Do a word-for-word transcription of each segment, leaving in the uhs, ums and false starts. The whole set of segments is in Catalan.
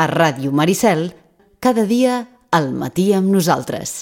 A Ràdio Maricel, cada dia al matí amb nosaltres.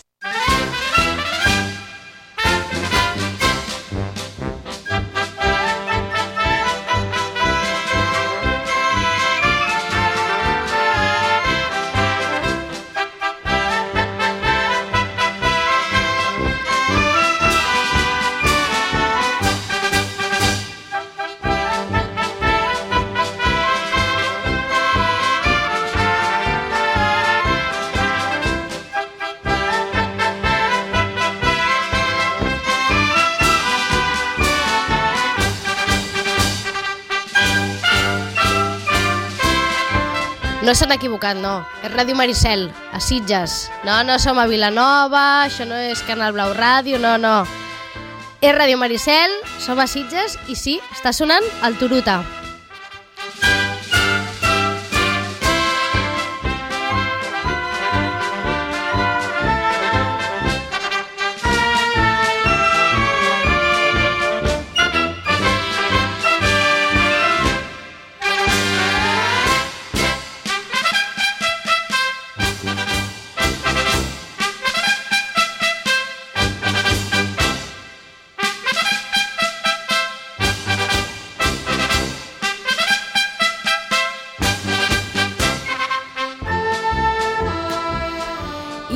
No s'han equivocat, no. És Ràdio Maricel, a Sitges. No, no som a Vilanova, això no és Canal Blau Ràdio, no, no. És Ràdio Maricel, som a Sitges i sí, està sonant el Turuta.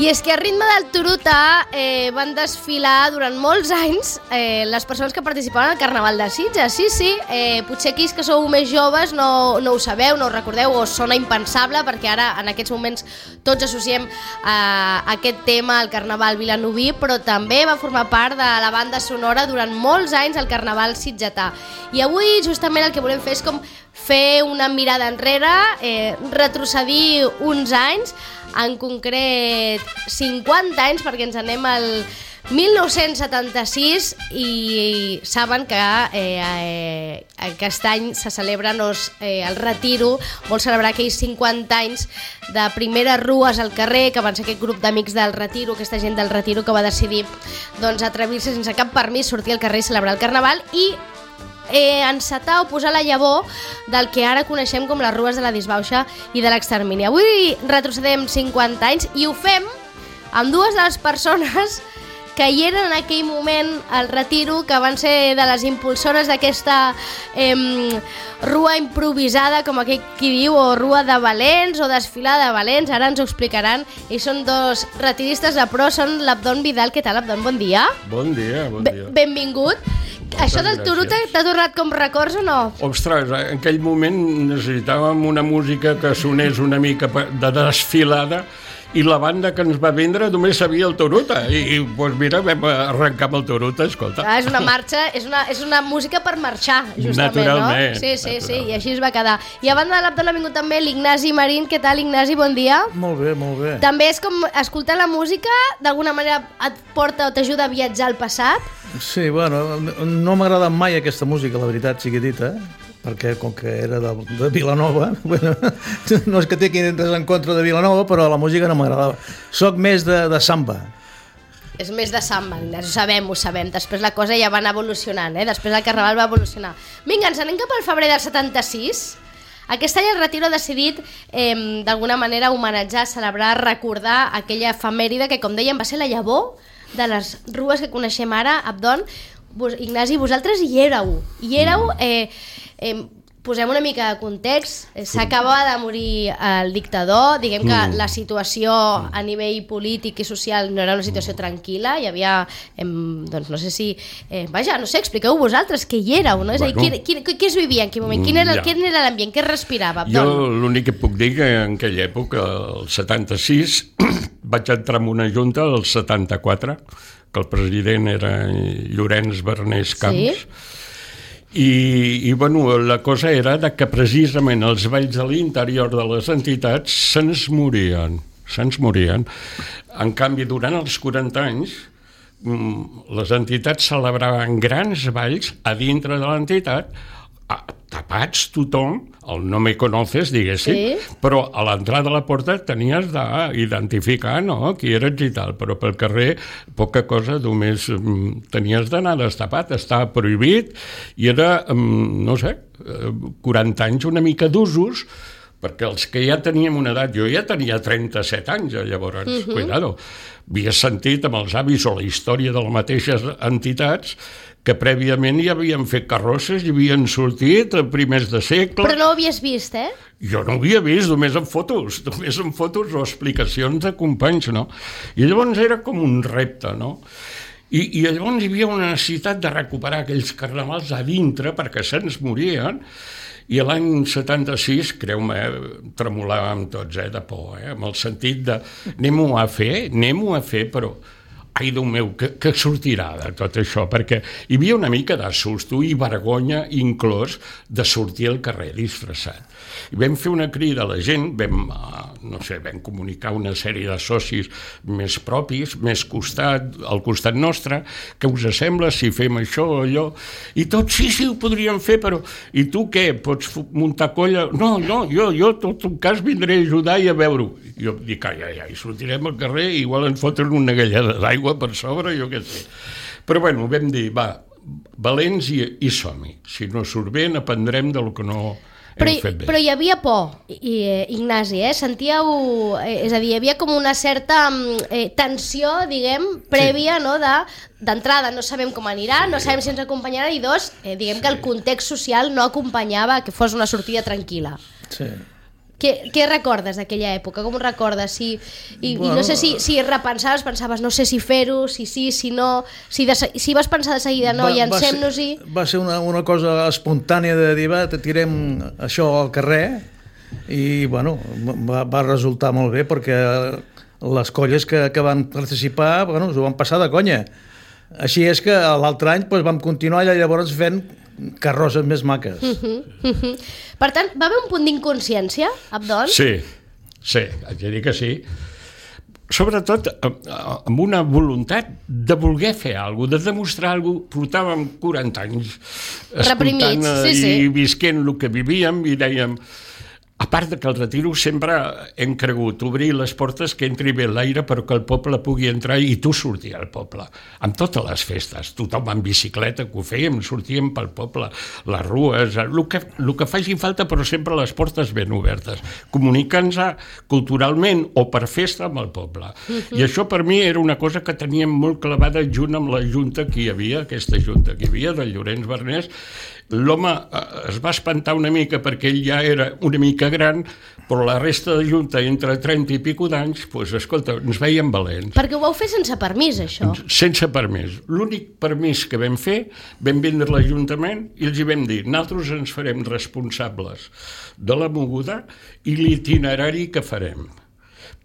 I és que a ritme del Turuta eh, van desfilar durant molts anys eh, les persones que participaven al Carnaval de Sitges. Sí, sí, eh, potser aquells que sou més joves no, no ho sabeu, no ho recordeu, o sona impensable, perquè ara en aquests moments tots associem eh, aquest tema al Carnaval vilanoví, però també va formar part de la banda sonora durant molts anys al Carnaval sitgetà. I avui justament el que volem fer és com fer una mirada enrere, eh, retrocedir uns anys, en concret cinquanta anys, perquè ens anem al mil nou-cents setanta-sis i saben que eh, eh, aquest any se celebra no, eh, el Retiro, vol celebrar aquells cinquanta anys de primeres rues al carrer, que van ser aquest grup d'amics del Retiro, aquesta gent del Retiro que va decidir doncs, atrevir-se sense cap permís, sortir al carrer i celebrar el Carnaval i Eh, encetar o posar la llavor del que ara coneixem com les rues de la disbauxa i de l'extermini. Avui retrocedem cinquanta anys i ho fem amb dues de les persones que hi eren en aquell moment al Retiro, que van ser de les impulsores d'aquesta eh, rua improvisada, com aquell qui diu, o rua de valents o desfilada de valents, ara ens ho explicaran, i són dos retiristes de pro, són l'Abdon Vidal. Què tal, Abdon? Bon dia. Bon dia, bon dia. Be- benvingut. Moltes Això del Turuta t'ha tornat com records o no? Ostres, en aquell moment necessitàvem una música que sonés una mica de desfilada i la banda que ens va vendre només sabia el Turuta i, i doncs mira, vam arrencar amb el Turuta, escolta. Ah, és una marxa, és una, és una música per marxar, justament, naturalment, no? Sí, sí, natural. sí, i així es va quedar. I a banda de l'Abdon ha vingut també l'Ignasi Marín. Què tal, Ignasi? Bon dia. Molt bé, molt bé. També és com escoltar la música, d'alguna manera et porta o t'ajuda a viatjar al passat? Sí, bueno, no m'ha agradat mai aquesta música, la veritat, sigui dita, perquè com que era de, de Vilanova, bueno, no és que té res en contra de Vilanova, però la música no m'agradava. Soc més de, de samba. És més de samba, ho sabem, ho sabem. Després la cosa ja va anar evolucionant, eh? Després el Carnaval va evolucionar. Vinga, ens anem cap al febrer del setanta-sis. Aquest any el Retiro ha decidit eh, d'alguna manera homenatjar, celebrar, recordar aquella efemèride que, com dèiem, va ser la llavor de les rues que coneixem ara. Abdon, vos, Ignasi, vosaltres hi éreu. Hi éreu, eh, eh, posem una mica de context, eh, s'acabava de morir el dictador, diguem que mm. la situació a nivell polític i social no era una situació tranquil·la, hi havia, eh, doncs no sé si, eh, vaja, no sé, expliqueu vosaltres que hi éreu, no? És bueno, a dir, quin, quin, què es vivia en quin moment? Quin era, ja. quin era l'ambient? Què es respirava? Jo l'únic que puc dir que en aquella època, el setanta-sis, vaig entrar en una junta, el setanta-quatre, que el president era Llorenç Bernés Camps, sí? I, i bueno, la cosa era de que precisament els balls de l'interior de les entitats se'ns morien, se'ns morien. En canvi, durant els quaranta anys, les entitats celebraven grans balls a dintre de l'entitat, tapats tothom, el no me conoces, diguéssim, sí? Però a l'entrada de la porta tenies d'identificar, no?, qui eres i tal, però pel carrer poca cosa, només tenies d'anar destapat, estava prohibit, i era, no sé, quaranta anys una mica d'usos, perquè els que ja teníem una edat, jo ja tenia trenta-set anys, llavors, uh-huh. cuidado, havia sentit amb els avis o la història de les mateixes entitats que prèviament ja havien fet carrosses i havien sortit a primers de segle. Però no ho havies vist, eh? Jo no ho havia vist, només en fotos, només en fotos o explicacions de companys, no? I llavors era com un repte, no? I, i llavors hi havia una necessitat de recuperar aquells carnavals a dintre perquè se'ns morien. I l'any setanta-sis, creu-me, tremolàvem tots, eh, de por, eh, amb el sentit de anem-ho a fer, anem-ho a fer, però ai, Déu meu, que, que sortirà de tot això? Perquè hi havia una mica de susto i vergonya inclòs de sortir al carrer disfressat. I vam fer una crida a la gent, vam, no sé, vam comunicar una sèrie de socis més propis, més costat, al costat nostre, què us sembla si fem això o allò? I tots, sí, sí, ho podríem fer, però i tu què? Pots muntar colla? No, no, jo, jo, tot un cas vindré a ajudar i a veure-ho. I jo dic, ai, ai, ai, sortirem al carrer i igual ens foten una galleda d'aigua per sobre, jo què sé. Però bueno, vam dir, va, valents i, i som-hi. Si no surt bé, n'aprendrem del que no però, hem fet bé. Però hi havia por, i, Ignasi, eh? Sentíeu... Eh, és a dir, hi havia com una certa eh, tensió, diguem, prèvia, sí. No? De, d'entrada, no sabem com anirà, sí. No sabem si ens acompanyarà, i dos, eh, diguem sí. Que el context social no acompanyava que fos una sortida tranquil·la. Sí. Què, què recordes d'aquella època? Com ho recordes? Si, i, bueno, I no sé si, si repensaves, pensaves no sé si fer-ho, si sí, si no, si, de, si vas pensar de seguida no, llancem-nos-hi... Va ser una, una cosa espontània de dir, va, tirem això al carrer i, bueno, va, va resultar molt bé perquè les colles que, que van participar, bueno, s'ho van passar de conya. Així és que l'altre any doncs, vam continuar i llavors fent carrosses més maques. Uh-huh, uh-huh. Per tant, va haver un punt d'inconsciència, Abdon? Sí, sí, haig de dir que sí. Sobretot amb una voluntat de voler fer alguna cosa, de demostrar alguna cosa. Portàvem quaranta anys reprimits, sí, sí. I visquent el que vivíem i dèiem... A part de que el retiro sempre hem cregut obrir les portes que entri bé l'aire però que el poble pugui entrar i tu sortir al poble. Amb totes les festes, tothom en bicicleta que ho fèiem, sortíem pel poble, les rues, el que, el que faci falta però sempre les portes ben obertes, comunicant-nos culturalment o per festa amb el poble. Uh-huh. I això per mi era una cosa que teníem molt clavada junt amb la junta que hi havia, aquesta junta que hi havia, del Llorenç Bernés. L'home es va espantar una mica perquè ell ja era una mica gran, però la resta de junta, entre trenta i pico d'anys, doncs, escolta, ens veiem valents. Perquè ho vau fer sense permís, això? Sense permís. L'únic permís que vam fer, vam vindre a l'Ajuntament i els hi vam dir, nosaltres ens farem responsables de la moguda i l'itinerari que farem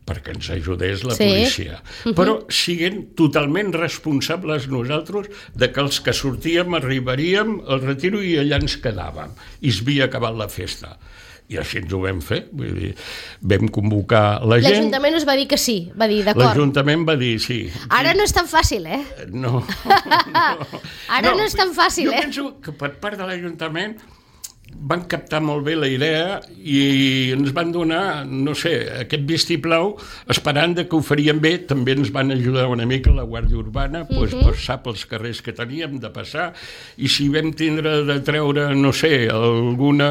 perquè ens ajudés la sí. Policia. Uh-huh. Però siguent totalment responsables nosaltres de que els que sortíem arribaríem al retiro i allà ens quedàvem. I es havia acabat la festa. I així ens ho vam fer. Vull dir, vam convocar la gent... L'Ajuntament us va dir que sí, va dir d'acord. L'Ajuntament va dir sí. Ara no és tan fàcil, eh? No. no. Ara no, no és tan fàcil, jo eh? Jo penso que per part de l'Ajuntament van captar molt bé la idea i ens van donar, no sé, aquest vistiplau, esperant que ho farien bé. També ens van ajudar una mica la Guàrdia Urbana, uh-huh. doncs, passar pels carrers que teníem de passar, i si vam tindre de treure, no sé, alguna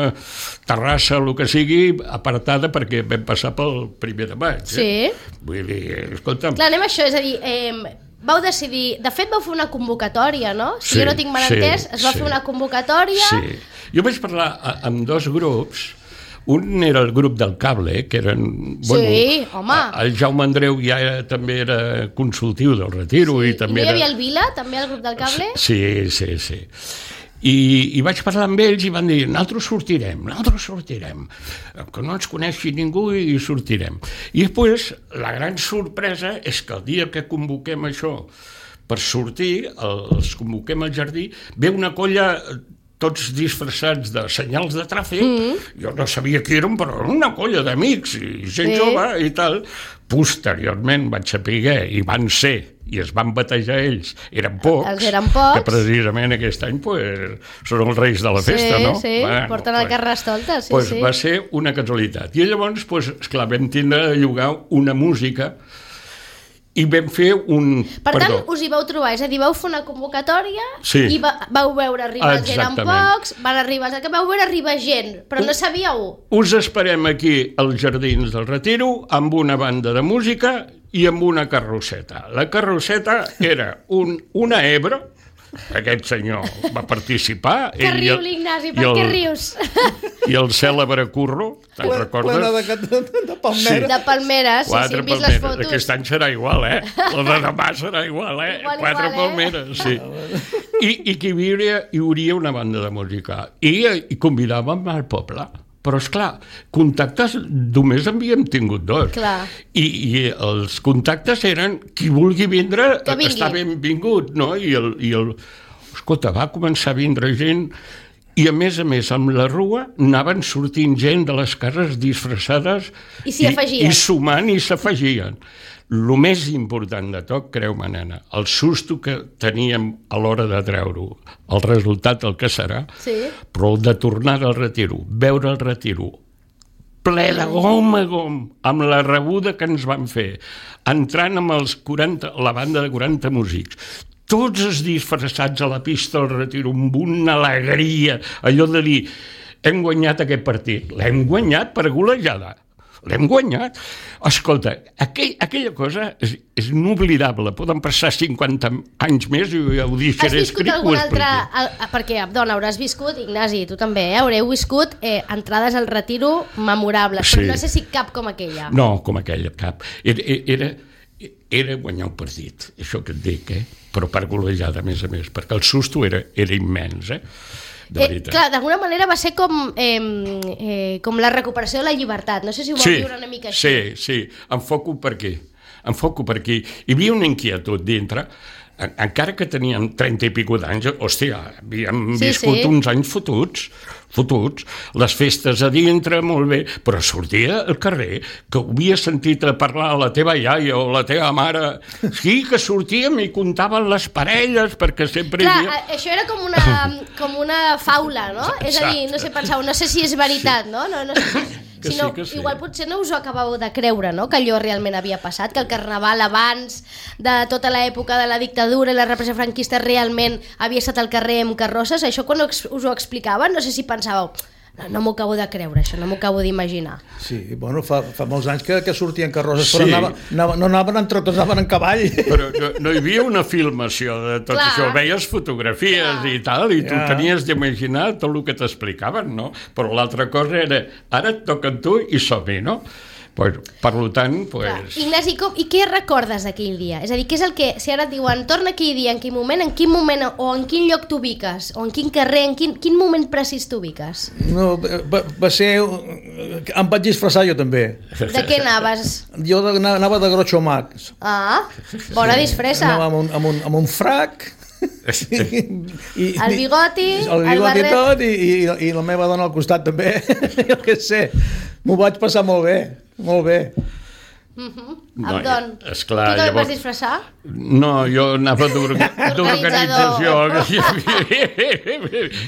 terrassa, el que sigui, apartada, perquè vam passar pel primer de maig. Sí. Eh? Vull dir, escolta'm... Clar, anem a això, és a dir... Eh... Vau decidir... De fet, vau fer una convocatòria, no? Si sí, jo no tinc mal entès, sí, es va sí. Fer una convocatòria... Sí. Jo vaig parlar amb dos grups. Un era el grup del cable, que eren... Sí, bueno, home! El Jaume Andreu ja era, també era consultiu del retiro. Sí. I també I no hi havia era... el Vila, també, al grup del cable? Sí, sí, sí. I, i vaig parlar amb ells i van dir, nosaltres sortirem, nosaltres sortirem, que no ens coneixi ningú i sortirem. I després, la gran sorpresa és que el dia que convoquem això per sortir, els convoquem al jardí, ve una colla tots disfressats de senyals de tràfic, mm-hmm. jo no sabia qui eren, però una colla d'amics i gent sí. Jove i tal. Posteriorment vaig saber, i van ser, i es van batejar ells, eren pocs, els eren pocs. Que precisament aquest any pues, són els reis de la festa, sí, no? Sí, bueno, porten el carrestolta, sí, pues, sí. Va ser una casualitat. I llavors, pues, esclar, vam tindre de llogar una música i vam fer un... Per tant, Perdó. us hi vau trobar, és a dir, vau fer una convocatòria Sí. i va, vau veure arribar els gent amb Exactament. pocs, van arribar, que vau veure arribar gent, però no sabíeu. Us esperem aquí als Jardins del Retiro amb una banda de música i amb una carrosseta. La carrosseta era un, una Ebro, aquest senyor va participar. Que ell i riu el- l'Ignasi, i per què el- rius? I el cèlebre Curro, te'n Plena recordes? de, de, de palmera. De palmeres, sí, sí, Quatre hem vist les palmeres. fotos. Aquest any serà igual, eh? La de demà serà igual, eh? Igual, Quatre igual, eh? palmeres, sí. I, i que hi hauria, hi hauria una banda de música. I, i convidàvem al poble. Però, esclar, contactes només havíem tingut dos. Clar. I, I els contactes eren qui vulgui vindre, Que vingui. està benvingut, no? I el, i el... Escolta, va començar a vindre gent i, a més a més, amb la rua anaven sortint gent de les cases disfressades I s'hi afegien. i, i sumant i s'afegien. El més important de tot, creu-me, nena, el susto que teníem a l'hora de treure-ho, el resultat el que serà, Sí. però el de tornar al retiro, veure el retiro, ple de gom a gom, amb la rebuda que ens van fer, entrant amb els quaranta, la banda de quaranta músics, tots els disfressats a la pista del retiro, amb una alegria, allò de dir, hem guanyat aquest partit, l'hem guanyat per golejada, l'hem guanyat. Escolta, aquell, aquella cosa és, és inoblidable, poden passar cinquanta anys més i jo ho Has deixaré viscut escrit. algun altre... El, perquè, dona, hauràs viscut, Ignasi, tu també, eh? Haureu viscut eh, entrades al retiro memorables, Sí. però no sé si cap com aquella. No, com aquella, cap. Era, era, era guanyar un partit, això que et dic, eh? Però per golejada, a més a més, perquè el susto era, era immens, eh? De Eh, veritat. clar, d'alguna manera va ser com, eh, eh, com la recuperació de la llibertat. No sé si ho vau viure una mica així. Sí, sí, enfoco per aquí, enfoco per aquí. Hi havia una inquietud dintre, en, encara que teníem trenta i pico d'anys, hòstia, havíem Sí, viscut sí. uns anys fotuts, fotuts, les festes a dintre, molt bé, però sortia al carrer, que ho havia sentit a parlar a la teva iaia o la teva mare, sí, que sortíem i contaven les parelles, perquè sempre Clar, hi havia... a- això era com una, com una faula, no? És a dir, no sé, penseu, no sé si és veritat, no? no, no sé, Que sinó, sí, que sí. igual potser no us ho acabeu de creure, no? Que allò realment havia passat, que el carnaval abans de tota l'època de la dictadura i la repressió franquista realment havia estat al carrer amb carrosses. Això quan us ho explicaven, no sé si pensàveu, no, no m'ho acabo de creure, això no m'ho acabo d'imaginar. Sí, bueno, fa, fa molts anys que, que sortien carrosses, Sí. però anava, anava, no anaven en trotos, anaven en cavall. Però no, no hi havia una filmació de tot Clar. això, veies fotografies Clar. i tal, i tu Ja. tenies d'imaginar tot el que t'explicaven, no? Però l'altra cosa era, ara et toca a tu i som-hi, no? Pues, per tant, Clar. pues... Ignasi, com, i què recordes d'aquell dia? És a dir, què és el que, si ara et diuen, torna aquell dia, en quin moment, en quin moment, o en quin lloc t'ubiques, o en quin carrer, en quin, quin moment precís t'ubiques? No, va, va ser... Em vaig disfressar jo també. De què anaves? Jo de, anava de Groucho Marx. Ah, bona disfressa. Anava amb un, amb un, amb un frac... I, El bigoti, el el bigoti barret. tot i, i, i la meva dona al costat també. Jo què sé, m'ho vaig passar molt bé, molt bé. No, Abdon, esclar, tu te'n llavors- vas disfressar? No, jo anava d'orga- d'organització.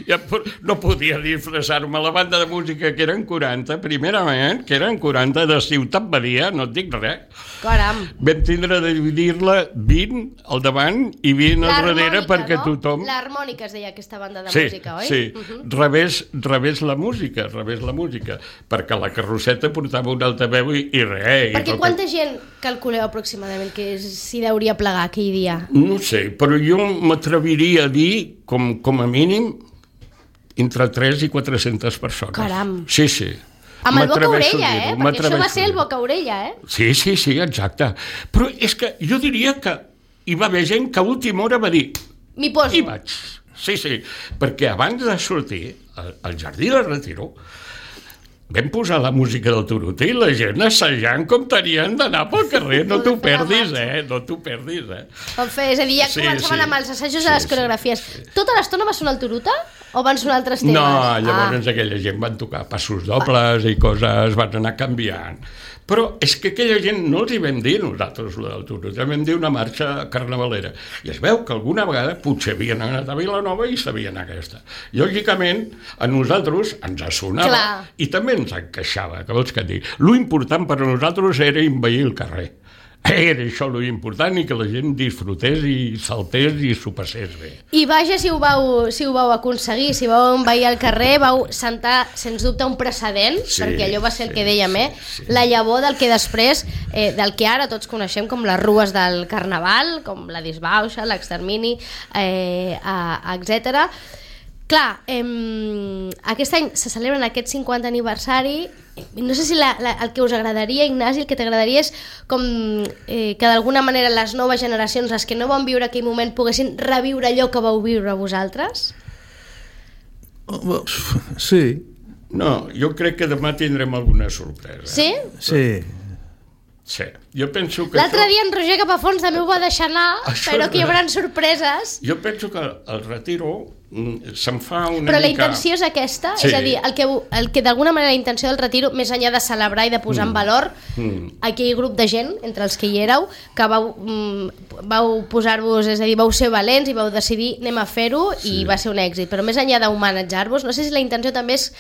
Ja po- no podia disfressar-me. La banda de música, que eren quaranta, primerament, que eren quaranta de Ciutat Badia, no et dic res. Caram. Vam tindre de dividir-la vint al davant i vint al darrere perquè no? tothom... L'harmònica es deia aquesta banda de Sí, música, oi? sí, Uh -huh. revés, revés la música, revés la música, perquè la carrosseta portava un altaveu i, i res. Perquè i tot- quanta gent calculeu aproximadament que s'hi deuria plegar aquell dia? No sé, però jo m'atreviria a dir, com, com a mínim, entre tres i quatre-centes persones. Caram. Sí, sí. Amb el boca M'atreveixo orella, a eh? dir-ho, Perquè això va m'atreveixo ser a el dir-ho. boca orella, eh? Sí, sí, sí, exacte. Però és que jo diria que hi va haver gent que a última hora va dir M'hi poso. i vaig. Sí, sí, perquè abans de sortir al, al Jardí del Retiro vam posar la música del Turuta i la gent assajant com tenien d'anar pel carrer. No t'ho perdis, eh? No t'ho perdis, eh? Van fer, és a dir, ja Sí, començaven sí. amb els assajos Sí, de les sí, coreografies. sí. Tota l'estona va sonar el Turuta? O van sonar altres temes? No, llavors Ah. aquella gent van tocar passos dobles i coses, van anar canviant. Però és que aquella gent no els hi vam dir nosaltres, la del Turuta, vam dir una marxa carnavalera. I es veu que alguna vegada potser havien anat a Vilanova i sabien aquesta. Lògicament, a nosaltres ens sonava Clar. i també ens encaixava, que vols que et digui. Lo important per a nosaltres era invair el carrer. Era això l'important i que la gent disfrutés i saltés i s'ho passés bé. I vaja, si ho, vau, si ho vau aconseguir, si vau envair al carrer, vau sentar, sens dubte, un precedent, sí, perquè allò va ser el sí, que dèiem, eh? Sí, sí. La llavor del que després, eh, del que ara tots coneixem com les rues del Carnaval, com la disbauxa, l'extermini, eh, etcètera. Clar, eh, aquest any se celebra en aquest cinquantè aniversari. No sé si la, la, el que us agradaria, Ignasi, el que t'agradaria és com eh, que d'alguna manera les noves generacions, les que no van viure aquell moment, poguessin reviure allò que vau viure vosaltres? Sí. No, jo crec que demà tindrem alguna sorpresa. Sí? Sí. Sí, jo penso que... L'altre això... dia en Roger Capafons també ho va deixar anar, això però que hi haurà sorpreses. Jo penso que el retiro se'n fa una però mica... la intenció és aquesta? Sí. És a dir, el que, el que d'alguna manera la intenció del retiro, més enllà de celebrar i de posar mm. en valor mm. aquell grup de gent, entre els que hi éreu, que vau, mm, vau posar-vos, és a dir, vau ser valents i vau decidir anem a fer-ho, sí. I va ser un èxit. Però més enllà d'homenatjar-vos, no sé si la intenció també és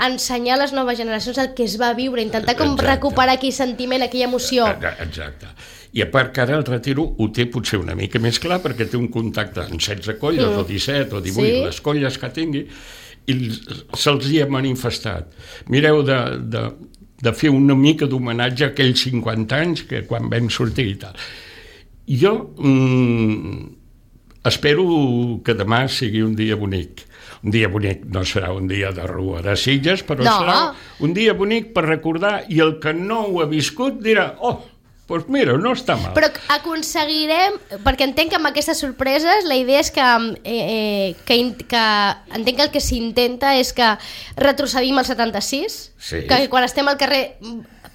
ensenyar a les noves generacions el que es va viure, intentar com exacte. Recuperar aquell sentiment, aquella emoció. Exacte. I a part que ara el retiro ho té potser una mica més clar perquè té un contacte amb setze colles, mm. o disset o divuit, sí. Les colles que tingui, i se'ls hi ha manifestat. Mireu de, de, de fer una mica d'homenatge a aquells cinquanta anys que quan vam sortir i tal. Jo mm, espero que demà sigui un dia bonic. Un dia bonic no serà un dia de rua de Sitges, però no. Serà un dia bonic per recordar, i el que no ho ha viscut dirà, oh, doncs mira, no està mal. Però aconseguirem, perquè entenc que amb aquestes sorpreses la idea és que, eh, que, que entenc que el que s'intenta és que retrocedim al setanta-sis, sí. Que quan estem al carrer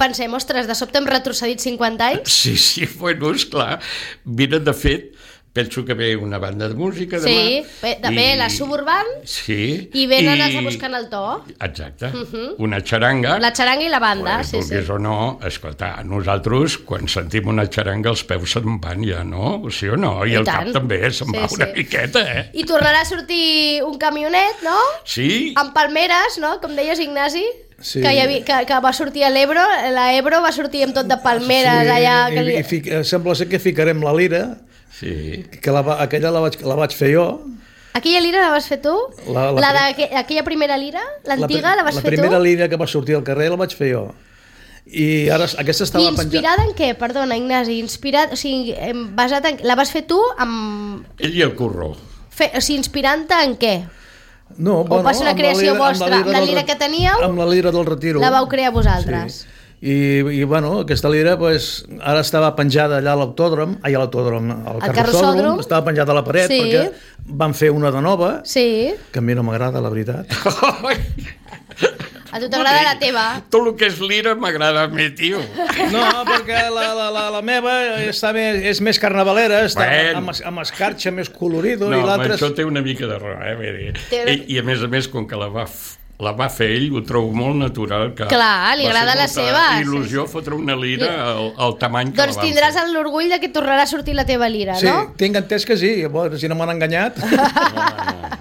pensem, ostres, de sobte hem retrocedit cinquanta anys. Sí, sí, bueno, esclar, mira, de fet, penso que ve una banda de música demà. Sí, ve, també i... la Suburban, sí, i venen i... a buscar el to. Exacte, uh-huh. Una xaranga. La xaranga i la banda, bueno, sí, sí. O no, escolta, nosaltres quan sentim una xaranga els peus se'n van ja, no? Sí o no? I, I el tant. Cap també se'n sí, va una sí. Miqueta, eh? I tornarà a sortir un camionet, no? Sí. Amb palmeres, no? Com deies, Ignasi. Sí. Que, havia, que, que va sortir a l'Ebro, la Ebro va sortir amb tot de palmeres, sí, allà... I, que... i fic, sembla ser que ficarem la lira. Sí. Que la, aquella la vaig, la vaig fer jo. Aquella lira la vas fer tu? La, la, la de, aquella primera lira? L'antiga la, la vas la fer tu? La primera lira que va sortir al carrer la vaig fer jo. I ara aquesta estava penjada... Inspirada en què? Perdona, Ignasi. Inspirat, o sigui, basat en... La vas fer tu amb... Ell i el curró. Fe, o sigui, inspirant-te en què? No, o bueno, va ser una creació lira, vostra? Amb la lira, la lira del, que teníeu? Amb la lira del retiro. La vau crear vosaltres? Sí. I, i bueno, aquesta lira pues, ara estava penjada allà a l'autòdrom, ai, a l'autòdrom, al carrossòdrom, estava penjada a la paret, sí. Perquè van fer una de nova, sí. Que a mi no m'agrada, la veritat. A tu t'agrada la teva? Tot el que és lira m'agrada a mi, tio. No, perquè la, la, la, la meva està més, és més carnavalera, està bueno. amb, amb escarxa més colorido. No, i l'altre... això té una mica de raó, eh? I, I a més a més, com que la va... la va fer ell, ho trobo molt natural. Que clar, li agrada la seva. Il·lusió sí. Fotre una lira al, al tamany que doncs la van tindràs fer. L'orgull de que tornarà a sortir la teva lira, sí, no? Sí, tinc entès que sí, bueno, si no m'han enganyat. No, no.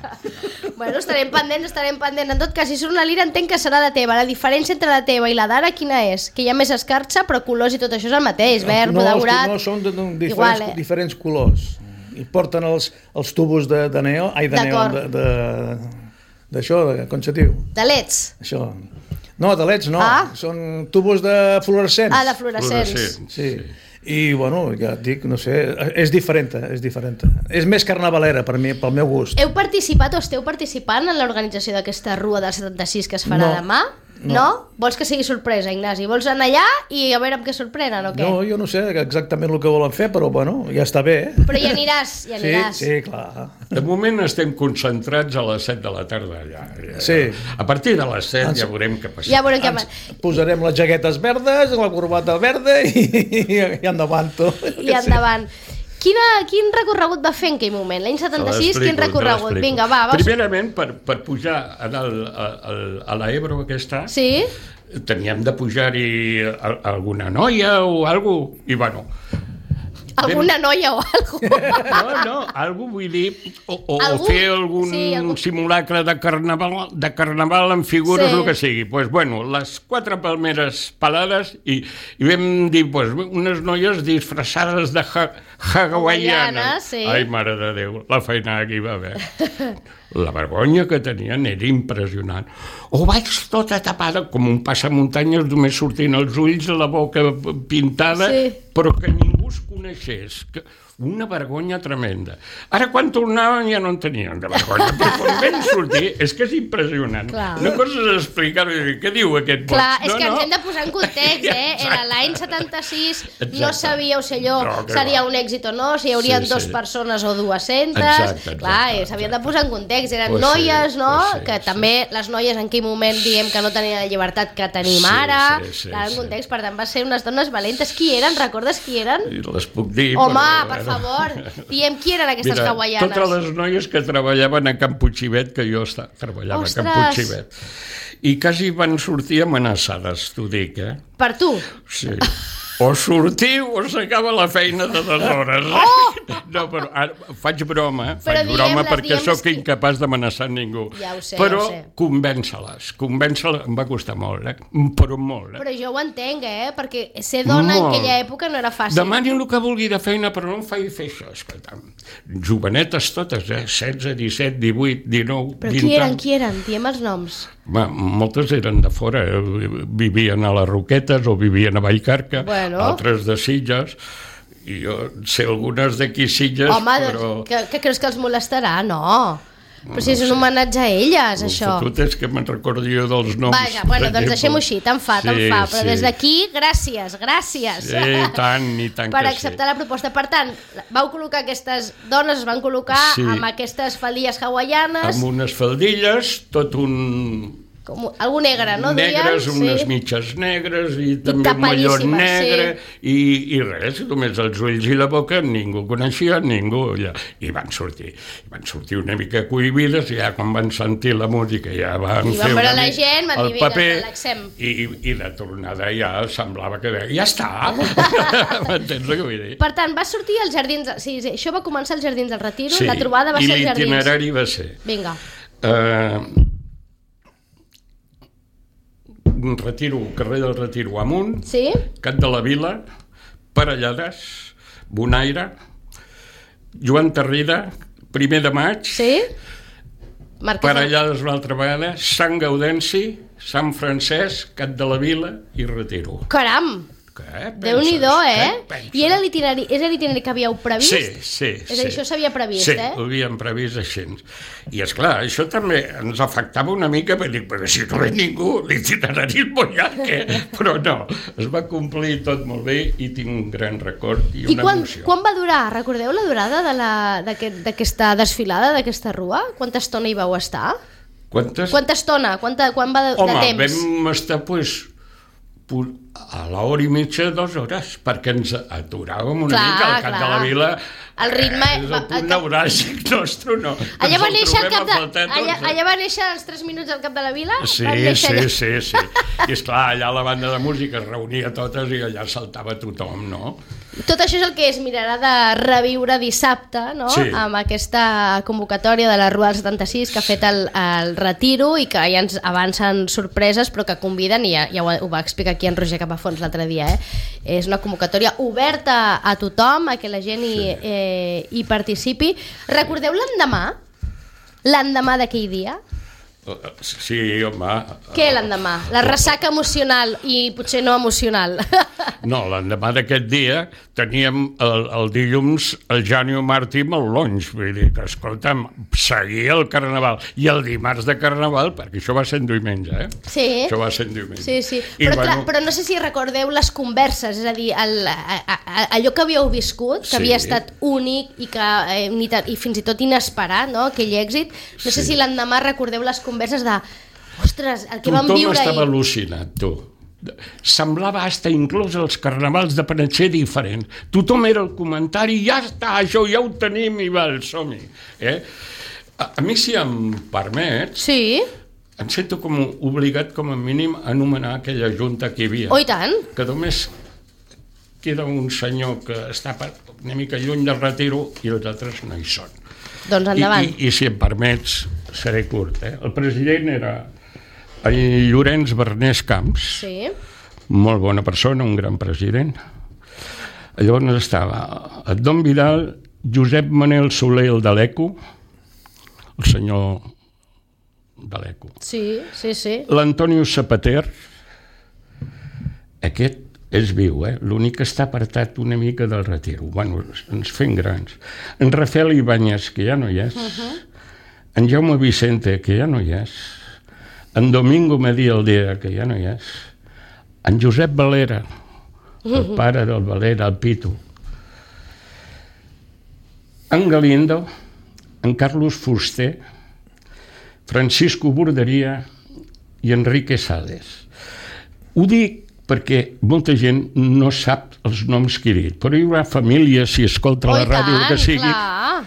Bueno, estarem pendents, estarem pendents. En tot cas, si surt una lira entenc que serà la teva. La diferència entre la teva i la d'ara quina és? Que hi ha més escarxa, però colors i tot això és el mateix, verd, no, daurat... No, són de, de, diferents, Igual, eh? diferents colors. I porten els, els tubos de, de neo, ai, de neo, de... de... d'això, com se diu? De leds? Això. No, de leds no, ah. Són tubos de fluorescents. Ah, de fluorescents. fluorescents. Sí. sí. I, bueno, ja et dic, no sé, és diferent, és diferent. És més carnavalera per mi, pel meu gust. Heu participat o esteu participant en l'organització d'aquesta rua del setanta-sis que es farà no. demà? No. no? Vols que sigui sorpresa, Ignasi? Vols anar allà i a veure amb què sorprenen o què? No, jo no sé exactament el que volen fer, però bueno, ja està bé. Eh? Però hi aniràs, hi aniràs. Sí, sí, clar. De moment estem concentrats a les set de la tarda allà. Sí. A partir de les set Ens... ja veurem què passa. Ja veurem què passa. Posarem les jaquetes verdes, la corbata verda i, i endavant tot. I endavant. Quina, quin recorregut va fer en aquell moment? L'any setanta-sis, quin recorregut? Vinga, va, va. Primerament, per, per pujar a, el, a, a l'Ebro aquesta, sí? Teníem de pujar-hi alguna noia o alguna cosa, i bueno, Alguna noia o alguna No, no, algú vull dir, o, o, Algú? o fer algun Sí, algú- simulacre de carnaval, de carnaval amb figures, Sí. el que sigui. Pues, bueno, les quatre palmeres pelades i, i vam dir, pues, unes noies disfressades de ha hawaiana. Hawaiana, sí. Ai, mare de Déu, la feina que hi va haver. La vergonya que tenien era impressionant. O vaig tota tapada, com un passamuntanyes, només sortint els ulls, la boca pintada, Sí. però que ningú es coneixés. Que... Una vergonya tremenda. Ara, quan tornaven, ja no en tenien de vergonya, però quan vam sortir, és que és impressionant. Clar. Una cosa és explicar-ho i dir, què diu aquest boig? Clar, és no, que no. ens hem de posar en context, eh? Era l'any setanta-sis, no Exacte. sabíeu si allò No, que seria va. un èxit o no, si hi haurien Sí, dues sí. persones o dues-centes. Exacte, exacte, Clar, i exacte. s'havien de posar en context. Eren Pues sí, noies, no? pues sí, que sí. també les noies en aquell moment diem que no tenien la llibertat que tenim Sí, ara. sí, sí, Clar, en sí. context, per tant, va ser unes dones valentes. Qui eren? Recordes qui eren? I les puc dir. Home, però, per bueno. favor, diem qui eren aquestes Mira, hawaianes. totes les noies que treballaven a Camp Puigcivet, que jo està, treballava Ostres! a Camp Puigcivet, i quasi van sortir amenaçades, t'ho dic, eh? Per tu? Sí. O sortiu o s'acaba la feina de dues hores. Oh! No, però ara faig broma, Però faig broma diem-les, perquè diem-les sóc que- incapaç d'amenaçar ningú. Ja ho sé, però ja ho sé. convèncer-les, convèncer-les em va costar molt, eh? Però molt, eh? Però jo ho entenc, eh? Perquè ser dona en Molt. aquella època no era fàcil. Demani el que vulgui de feina, però no em faci fer això. Escolta'm. Jovenetes totes, eh? setze, disset, divuit, dinou, Però vint qui eren, anys. qui eren? Diem els noms. Va, moltes eren de fora, eh? Vivien a les Roquetes o vivien a Vallcarca, Bueno. altres de Sitges, i jo sé algunes d'aquí Sitges, Home, però... doncs, que, que creus que els molestarà? No. Però si és un homenatge a elles, el això. fotut és que me'n recordo jo dels noms. Vaja, bueno, per doncs exemple. deixem-ho així, tant fa, tant Sí, fa. Però sí. des d'aquí, gràcies, gràcies. Sí, i tant, i tant per que acceptar sí. la proposta. Per tant, vau col·locar aquestes dones, es van col·locar Sí. amb aquestes faldilles hawaianes, Amb unes faldilles, tot un... com, algú negre, no? negres, duien? unes Sí. mitges negres i també un mallot tapadíssimes, negre i, i res, només els ulls i la boca ningú coneixia, ningú ja. I van sortir, i van sortir una mica cohibides i ja quan van sentir la música ja van I van fer veure una la mica gent, van el dir, vinga, paper relaxem. i, i de tornada ja semblava que ja està. M'entens el que vull dir? Per tant, va sortir als Jardins... Sí, sí, això va començar als Jardins del Retiro, Sí, la trobada va i ser als Jardins. l'itinerari va ser Vinga. eh, un retiro, carrer del Retiro amunt, Sí? Cat de la Vila, Parellades, Bonaire, Joan Tarrida, primer de maig, Sí? Marquès de- Parellades una altra vegada, Sant Gaudenci, Sant Francesc, Cat de la Vila i Retiro. Caram! Què Déu-n'hi-do, penses? eh? penses? I era l'itinerari, és l'itinerari que havíeu previst? Sí, sí, És a dir, sí. això s'havia previst, sí, eh? ho havíem previst així. I, esclar, això també ens afectava una mica, perquè dic, però si no ve ningú, l'itinerari és molt llarg, eh? Però no, es va complir tot molt bé i tinc un gran record i I una quan, emoció. quan va durar? Recordeu la durada de la- d'aquest- d'aquesta desfilada, d'aquesta rua? Quanta estona hi vau estar? Quantes? Quanta estona? Quanta, quan va de, Home, de temps? vam estar, pues, pu- a l'hora i mitja, dues hores, perquè ens aturàvem una Clar, mica al Cap clar. de la Vila. El ritme- Eh, és va- el punt el cap- neuràlgic nostre, no. Allà Ens va el néixer el trobem cap de... a faltar tots, Allà, eh? allà va néixer els tres minuts al cap de la vila? Sí, Van néixer sí, allà. sí, sí. I esclar, allà la banda de música es reunia totes i allà saltava tothom, no? Tot això és el que es mirarà de reviure dissabte, no? Sí. Amb aquesta convocatòria de la Rua del setanta-sis que ha fet el, el Retiro i que ja ens avancen sorpreses però que conviden, i ja, ja ho, ho va explicar aquí en Roger Capafons l'altre dia, eh? És una convocatòria oberta a tothom, a que la gent hi, Sí. eh, hi participi. Recordeu l'endemà? L'endemà d'aquell dia? Sí, home. Què l'endemà? La ressaca emocional i potser no emocional. No, l'endemà d'aquest dia teníem el, el dilluns el Janio Martí amb el Longe, vull dir que, escolta'm, seguia el Carnaval. I el dimarts de Carnaval, perquè això va ser en diumenge, eh? Sí. Això va ser en diumenge. Sí, sí. I, Però, clar, bueno, però no sé si recordeu les converses, és a dir, el, a, a, allò que havíeu viscut, que Sí. havia estat únic i, que, eh, ni ta- i fins i tot inesperat, no? Aquell èxit. No sé Sí. si l'endemà recordeu les converses de ostres, el que vam tothom viure estava ahir. al·lucinat, tu. Semblava hasta inclús els carnavals de Panetxer diferent. Tothom era el comentari, ja està, això ja ho tenim i va, som-hi. Eh? A, a mi, si em permets, Sí? em sento com obligat, com a mínim, a anomenar aquella junta que hi havia. Oh, i tant. Que només queda un senyor que està una mica lluny del retiro i els altres no hi són. Doncs endavant. I, i, i si em permets, seré curt. Eh? El president era el Llorenç Bernés Camps, Sí. molt bona persona, un gran president. Llavors estava el Don Vidal, Josep Manel Soler, el de l'Eco, el senyor de l'Eco. Sí, sí, sí. L'Antonio Zapater, aquest és viu, eh? L'únic que està apartat una mica del retiro. Bueno, ens fem grans. En Rafael Ibáñez, que ja no hi és. Uh-huh. En Jaume Vicente, que ja no hi és. En Domingo Medí Aldea, que ja no hi és. En Josep Valera, el uh-huh. pare del Valera, el Pitu. En Galindo, en Carlos Fuster, Francisco Borderia i Enrique Sales. Ho dic perquè molta gent no sap els noms que he dit, però hi haurà família, si escolta Oh, la ràdio, tant, que sigui, clar.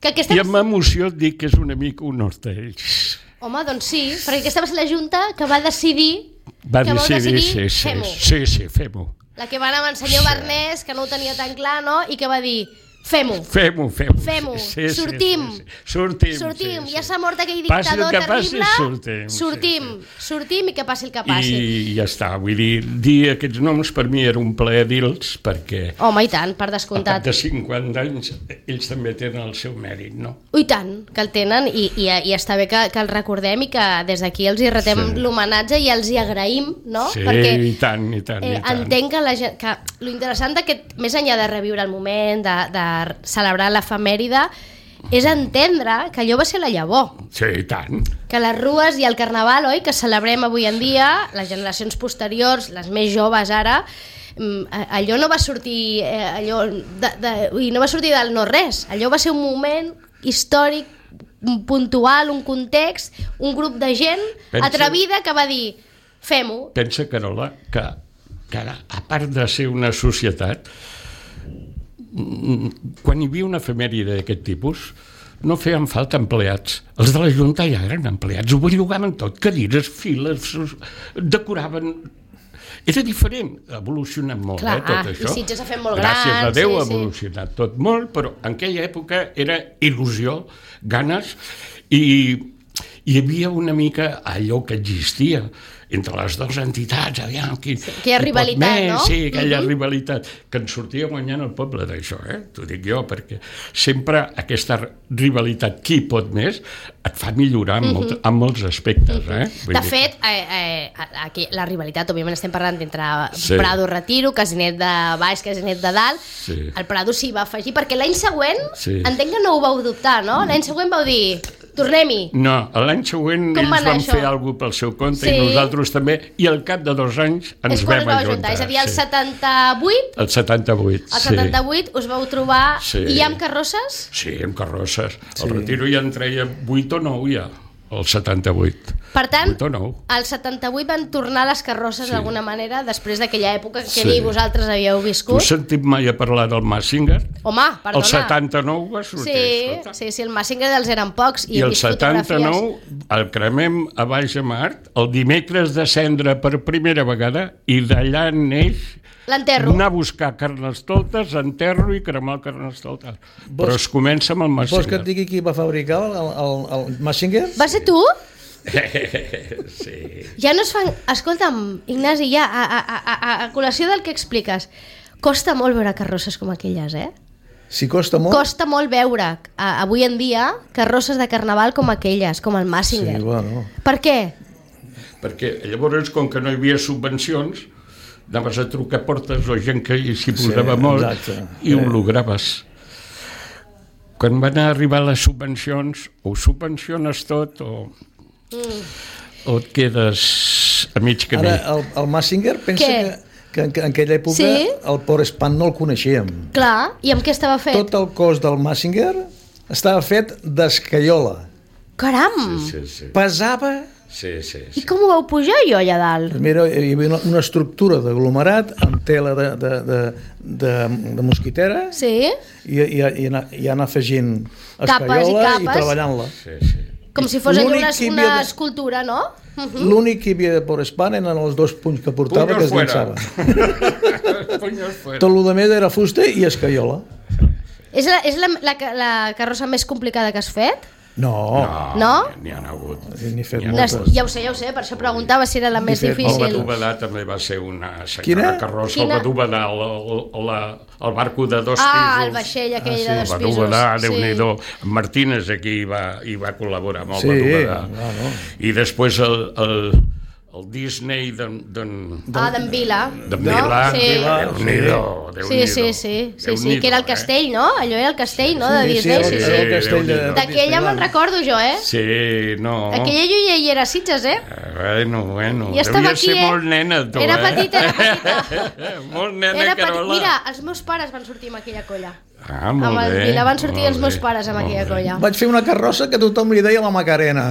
Que aquesta... i amb emoció et dic que és una mica un honor d'ells. Home, doncs sí, perquè aquesta va ser la Junta que va decidir Va que vau decidir, decidir sí, sí, fem-ho. sí, sí, fem-ho. La que va anar amb el senyor Sí. Bernés, que no ho tenia tan clar, no? I que va dir, fem-ho. Fem-ho, fem-ho. Fem-ho, Sí, sí, sortim. Sí, sí. Sortim, Sortim, sí, ja sí. s'ha mort aquell Passi el dictador que passi, terrible. sortim, sí, sortim, sí. sortim i que passi el que passi. I ja està, vull dir, dir aquests noms per mi era un plaer dir-los, perquè Home, i tant, per al cap descomptat. de cinquanta anys ells també tenen el seu mèrit, no? I tant, que el tenen i, i, i està bé que, que el recordem i que des d'aquí els hi retem Sí. l'homenatge i els hi agraïm, no? Sí, Perquè i tant, i tant, eh, i tant. entenc que, la gent, que lo interessant d'aquest, més enllà de reviure el moment, de, de celebrar l'efemèride, és entendre que allò va ser la llavor. Sí, i tant. Que les rues i el carnaval, oi, que celebrem avui en dia, les generacions posteriors, les més joves ara, mm, allò no va sortir eh, allò de, de, ui, no va sortir del no res, allò va ser un moment històric puntual, un context, un grup de gent Pensa- atrevida que va dir fem-ho. Pensa, Carola, que, que ara, a part de ser una societat, mm, quan hi havia una efemèride d'aquest tipus, no feien falta empleats. Els de la Junta ja eren empleats, ho bellugaven tot, cadires, files, decoraven... Era diferent, ha evolucionat molt, Clar, eh, tot això. i Sitges s'ha fet molt Gràcies gran, a Déu sí, ha sí. evolucionat tot molt, però en aquella època era il·lusió, ganes, i hi havia una mica allò que existia entre les dues entitats, aviam, qui, aquella qui pot rivalitat, més, no? Sí, aquella Mhm. rivalitat, que ens sortia guanyant el poble d'això, eh? T'ho dic jo, perquè sempre aquesta rivalitat, qui pot més, et fa millorar en, molt, en molts aspectes, eh? Vull De dir fet, eh, eh, aquí, la rivalitat, òbviament estem parlant entre Sí. Prado Retiro, Casinet de Baix, Casinet de Dalt, Sí. el Prado s'hi va afegir, perquè l'any següent, Sí. entenc que no ho vau dubtar, no? L'any següent vau dir, tornem-hi. No, l'any següent Com va ells anar van això? fer alguna cosa pel seu compte Sí. i nosaltres també, i al cap de dos anys ens És quan us vam vau ajuntar. ajuntar, és a dir, el sí. setanta-vuit, El setanta-vuit, el sí. setanta-vuit us vau trobar, Sí. i amb carrosses? Sí, amb carrosses. Sí. El retiro ja en treia vuit o nou ja, el setanta-vuit. Per tant, vuit o nou. al setanta-vuit van tornar les carrosses Sí. d'alguna manera, després d'aquella època que Sí. ni vosaltres havíeu Tu viscut. has sentit mai a parlar del Massinger? Home, perdona. El setanta-nou va sortir, Sí, escolta. sí, sí, el Massinger dels eren pocs i, I he el vist fotografies. setanta-nou el cremem a Baix a Mart, el dimecres de cendra per primera vegada, i d'allà neix L'enterro. anar a buscar carnestoltes, enterro i cremar el carnestoltes. Però es comença amb el Vols que et Massinger. digui qui va fabricar el, el, el Massinger? Va ser tu? Sí. Ja no es fan... Escolta'm, Ignasi, ja, a, a, a, a, a col·lació del que expliques, costa molt veure carrosses com aquelles, eh? Si costa molt... Costa molt veure, a, avui en dia, carrosses de carnaval com aquelles, com el Sí, Massinger. bueno. Per què? Perquè llavors, com que no hi havia subvencions, anaves a trucar a portes o gent que s'hi posava Sí, molt exacte. i ho lograves. Quan van arribar les subvencions, o subvenciones tot o, mm. o et quedes a mig camí. Ara, el, el Massinger, pensa Què? que, que en, en aquella època Sí? el Port Espan no el coneixíem. Clar, i amb què estava fet? Tot el cos del Massinger estava fet d'escaiola. Caram! Sí, sí, Pesava... sí, sí, I sí. com ho vau pujar jo allà dalt? Mira, hi havia una, una estructura d'aglomerat amb tela de, de, de, de, de mosquitera Sí? i, i, i, anar, i anar afegint Capes i escaiola i, capes. treballant-la. sí, sí. Com si fos allò L'únic una, que hi una havia de- escultura, no? L'únic que hi havia de por Espana eren els dos punys que portava, Puños que es llançava. Puños fuera. Tot el més era fusta i escaiola. És, la, és la, la, la carrossa més complicada que has fet? No, No? N'hi ha hagut. n'hi he fet N'hi ha Les, moltes. ja ho sé, ja ho sé, per això preguntava si era la més fet, El difícil. Badúbedà també va ser una senyora Quina? carrossa. Quina? El Badúbedà, el, el, el, el barco de dos Ah, pisos. el vaixell aquell Ah, sí. de El dos pisos. Badúbedà, Sí. Déu-n'hi-do. Martínez aquí hi va, hi va col·laborar amb el Sí, Badúbedà. no, no. I després el, el, el Disney d'en... Ah, d'en Vila. d'en no? Vila. Sí. Déu-n'hi-do. Sí, sí, sí, sí, sí, que era el castell, no? Allò era el castell, no? De Sí, sí, Disney. el, Sí, sí. el castell de... D'aquella me'n recordo jo, eh? Sí, no. Aquella jo ja hi era a Sitges, eh? Bueno, bueno. I estava Devia aquí, ser eh? molt nena, tu, Era eh? petita, era petita. molt nena, Era petit. Carola. Mira, els meus pares van sortir amb aquella colla. Ah, molt Amb el bé. Vila van sortir molt els meus bé, pares amb molt aquella bé. colla. Vaig fer una carrossa que tothom li deia la Macarena,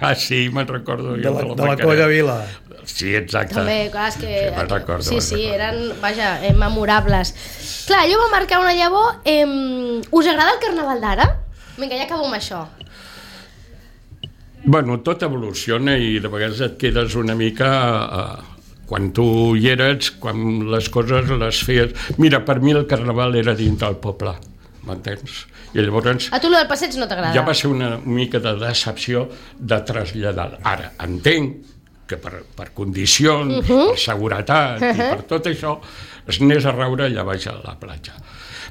Ah, sí, me'n recordo de jo la, de la, de la Macarena. colla Vila. Sí, exacte. També, clar, és que... Sí, me'n recordo, sí, me'n sí, recordo. eren, vaja, eh, memorables. Clar, allò va marcar una llavor. Eh, us agrada el carnaval d'ara? Vinga, ja acabo amb això. Bueno, tot evoluciona i de vegades et quedes una mica... Eh, quan tu hi eres, quan les coses les feies... Mira, per mi el carnaval era dintre del poble, m'entens? I llavors A tu lo del passeig no t'agrada? ja va ser una mica de decepció de traslladar. Ara, entenc que per, per condicions, uh -huh. per seguretat uh -huh. i per tot això, es anés a raure allà baix a la platja.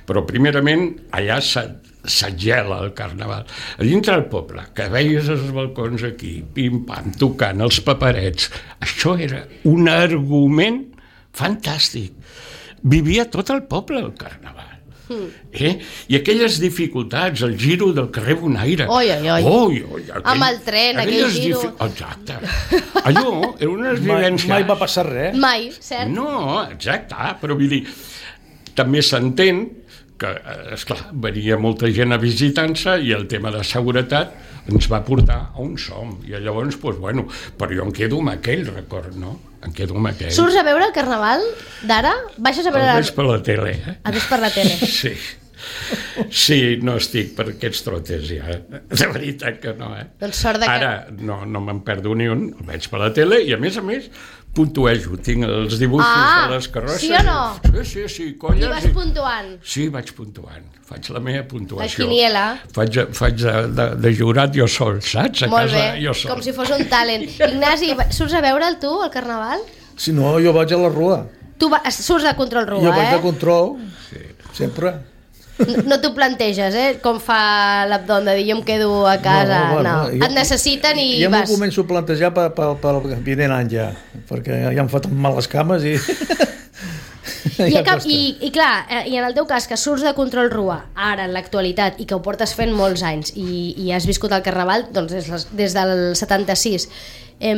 Però primerament allà s'agela el carnaval. A dintre del poble, que veies els balcons aquí, pim-pam, tocant els paperets, això era un argument fantàstic. Vivia tot el poble el carnaval. Eh? I aquelles dificultats, el giro del carrer Bonaire. Oi, oi, oi. Oi, oi, aquell, Amb el tren, aquell giro. Difi... Exacte. Allò era unes Mai, vivències... mai va passar res. Mai, cert? No, exacte, però vull dir, també s'entén que, esclar, venia molta gent a visitar-se i el tema de seguretat ens va portar a un som. I llavors, doncs, bueno, però jo em quedo amb aquell record, no? Em quedo amb aquell. Surts a veure el carnaval d'ara? Baixes a veure... El veig per la tele, eh? El veig per la tele. Sí. Sí, no estic per aquests trotes ja. De veritat que no, eh? Doncs sort de que... Ara no, no me'n perdo ni un, el veig per la tele i a més a més puntuejo, tinc els dibuixos Ah, de les carrosses. sí o no? Sí, sí, sí, colles. I vas puntuant. Sí, vaig puntuant. Faig la meva puntuació. La quiniela. Faig, faig de, de, de jurat jo sol, saps? A Molt casa bé, jo sol. com si fos un talent. Ignasi, surts a veure'l tu, el carnaval? Si no, jo vaig a la rua. Tu va, surts de control rua, Jo vaig eh? de control, sí. sempre. No, no t'ho planteges, eh? Com fa l'Abdon de dir jo em quedo a casa. No, bueno, no. Et necessiten i ja m'ho vas. començo a plantejar pel, pel, pel vinent any ja, perquè ja em foten mal les cames i... I, ja cap, costa. i, I clar, eh, i en el teu cas, que surts de control rua ara, en l'actualitat, i que ho portes fent molts anys i, i has viscut el carnaval doncs, des, des del setanta-sis, eh,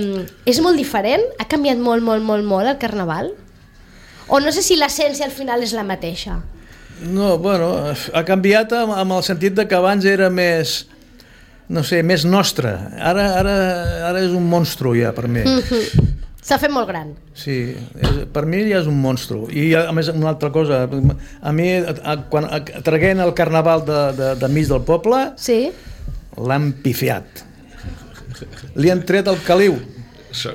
és molt diferent? Ha canviat molt, molt, molt, molt el carnaval? O no sé si l'essència al final és la mateixa? No, bueno, ha canviat amb, amb el sentit de que abans era més, no sé, més nostre. Ara, ara, ara és un monstru ja per mi. S'ha fet molt gran. Sí, és, per mi ja és un monstru. I a més una altra cosa, a mi a, quan a, traguent el carnaval de, de, de mig del poble, Sí? l'han pifiat. Li han tret el caliu.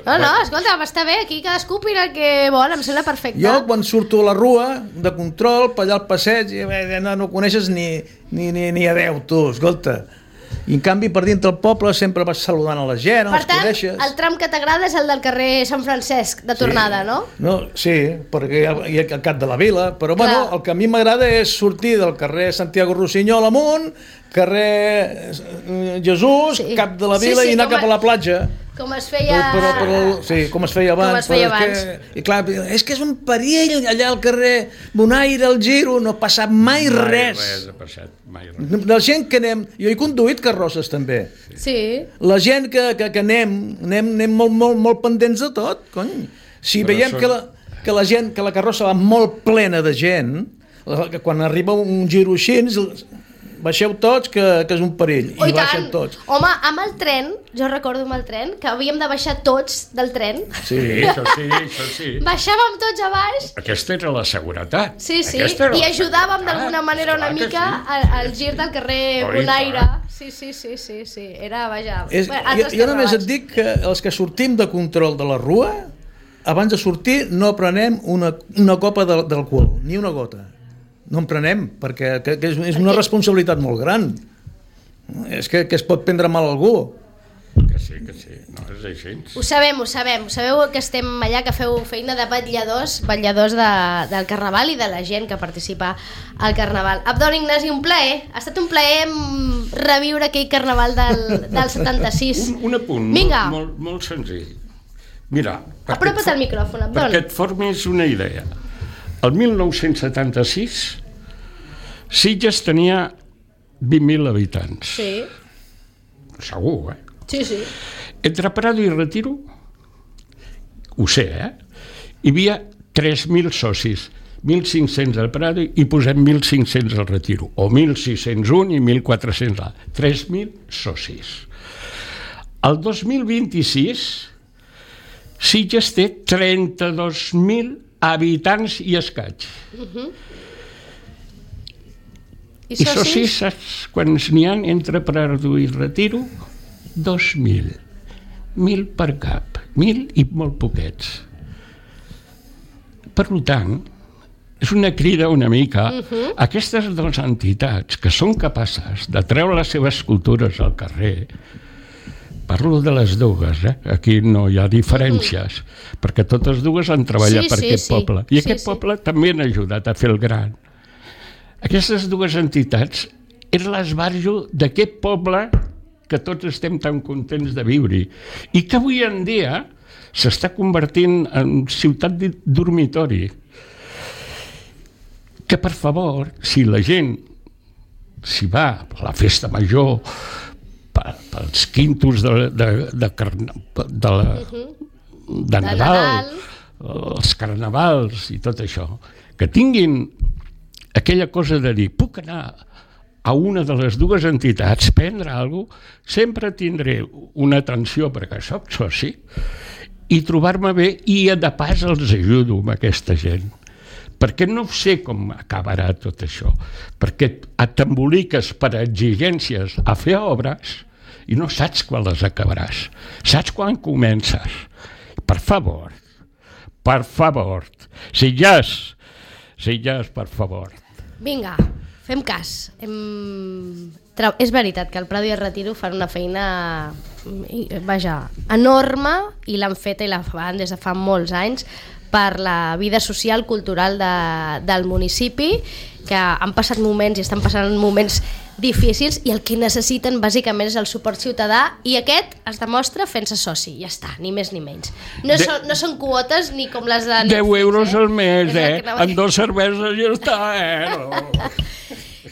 No, no, escolta, està bé, aquí cadascú opina el que vol, em sembla perfecte. Jo quan surto a la rua de control, per allà al passeig, i, eh, no, no coneixes ni, ni, ni, ni adeu, tu, escolta. I en canvi per dintre el poble sempre vas saludant a la gent, Per els tant, coneixes. el tram que t'agrada és el del carrer Sant Francesc, de tornada, no? No, sí, perquè hi ha, hi ha el cap de la vila, però bueno, Clar. el que a mi m'agrada és sortir del carrer Santiago Rossinyol amunt, carrer eh, Jesús, Sí. cap de la Sí, vila sí, i anar com cap a- a la platja. Com es feia... Però, però, sí, com es feia abans. Com es feia però és Que, I clar, és que és un perill allà al carrer Bonaire, al Giro, no ha passat mai, Mai res. res ha passat, mai res. La gent que anem... Jo he conduït carrosses també. Sí. La gent que, que, que anem, anem, anem molt, molt, molt pendents de tot, cony. Si Però veiem són- que, la, que la gent, que la carrossa va molt plena de gent, la- que quan arriba un giro així, baixeu tots, que, que és un perill. Oh, I, I baixen tots. Home, amb el tren, jo recordo amb el tren, que havíem de baixar tots del tren. Sí, això sí, això sí. Baixàvem tots a baix. Aquesta era la seguretat. Sí, sí, Aquesta i ajudàvem d'alguna manera una mica sí. al, al gir del carrer oh, Bonaire. Sí, sí, sí, sí, sí, era, vaja... És, jo, jo només et dic que els que sortim de control de la rua, abans de sortir no prenem una, una copa d'alcohol, ni una gota. No en prenem, perquè que, que és, és una responsabilitat molt gran. És que, que es pot prendre mal a algú. Que sí, que sí, no és així. Ho sabem, ho sabem. Sabeu que estem allà, que feu feina de vetlladors, vetlladors de, del Carnaval i de la gent que participa al Carnaval. Abdon, Ignasi, un plaer. Ha estat un plaer reviure aquell Carnaval del, del setanta-sis. Un, un apunt, Vinga. Molt, molt, molt senzill. Mira, apropa't al micròfon, Abdon. Perquè et formis una idea. El mil nou-cents setanta-sis, Sitges tenia vint mil habitants. Sí. Segur, eh? Sí, sí. Entre Prado i Retiro, ho sé, eh? Hi havia tres mil socis, mil cinc-cents al Prado i posem mil cinc-cents al Retiro, o mil sis-cents un i mil quatre-cents al... tres mil socis. El dos mil vint-i-sis, Sitges té trenta-dos mil habitants i escaig. Uh-huh. I, I socis, saps quants n'hi ha entre Prado i Retiro? Dos mil. Mil per cap. Mil i molt poquets. Per tant, és una crida una mica a uh-huh. aquestes dues entitats que són capaces de treure les seves cultures al carrer. Parlo de les dues, eh? Aquí no hi ha diferències, uh-huh. perquè totes dues han treballat sí, per sí, aquest sí. poble. I sí, aquest sí. poble també han ajudat a fer el gran. Aquestes dues entitats és l'esbarjo d'aquest poble que tots estem tan contents de viure-hi i que avui en dia s'està convertint en ciutat dormitori. Que, per favor, si la gent s'hi va a la festa major, pels quintos de, de, de, de, la, de Nadal, els carnavals i tot això, que tinguin aquella cosa de dir, puc anar a una de les dues entitats, prendre alguna cosa, sempre tindré una atenció perquè soc soci i trobar-me bé i de pas els ajudo amb aquesta gent. Perquè no sé com acabarà tot això, perquè t'emboliques per exigències a fer obres i no saps quan les acabaràs, saps quan comences. Per favor, per favor, Sitges, Sitges, per favor. Vinga, fem cas. Hem... És veritat que el Prado i el Retiro fan una feina vaja, enorme i l'han feta i la fan des de fa molts anys per la vida social, cultural de, del municipi, que han passat moments i estan passant moments difícils i el que necessiten bàsicament és el suport ciutadà i aquest es demostra fent-se soci, ja està, ni més ni menys. No, de... són, no són quotes ni com les de... deu euros al mes, eh? En dos cerveses ja està, eh? No.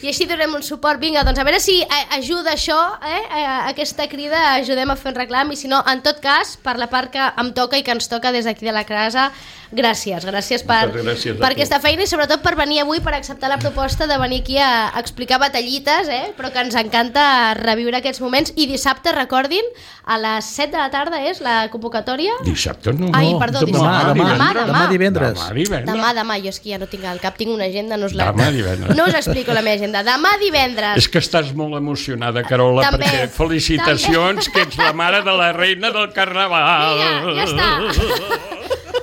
I així donem un suport. Vinga, doncs a veure si ajuda això, eh? Aquesta crida, ajudem a fer un reclam i si no, en tot cas, per la part que em toca i que ens toca des d'aquí de la casa, gràcies, gràcies per, gràcies per aquesta feina i sobretot per venir avui, per acceptar la proposta de venir aquí a explicar batallites, eh? Però que ens encanta reviure aquests moments. I dissabte, recordin, a les set de la tarda és la convocatòria? Dissabte no, Ai, perdó, demà, dissabte. demà, demà, demà, demà divendres. Demà divendres. Demà, demà, jo és que ja no tinc al cap, tinc una agenda, no us la... Demà divendres. No us explico la meva agenda. Demà divendres. És que estàs molt emocionada, Carola, també, perquè felicitacions, també. Que ets la mare de la reina del Carnaval. Vinga, ja està.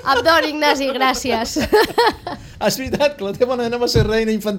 Abdon, Ignasi, gràcies. És veritat que la teva nena va ser reina infantil.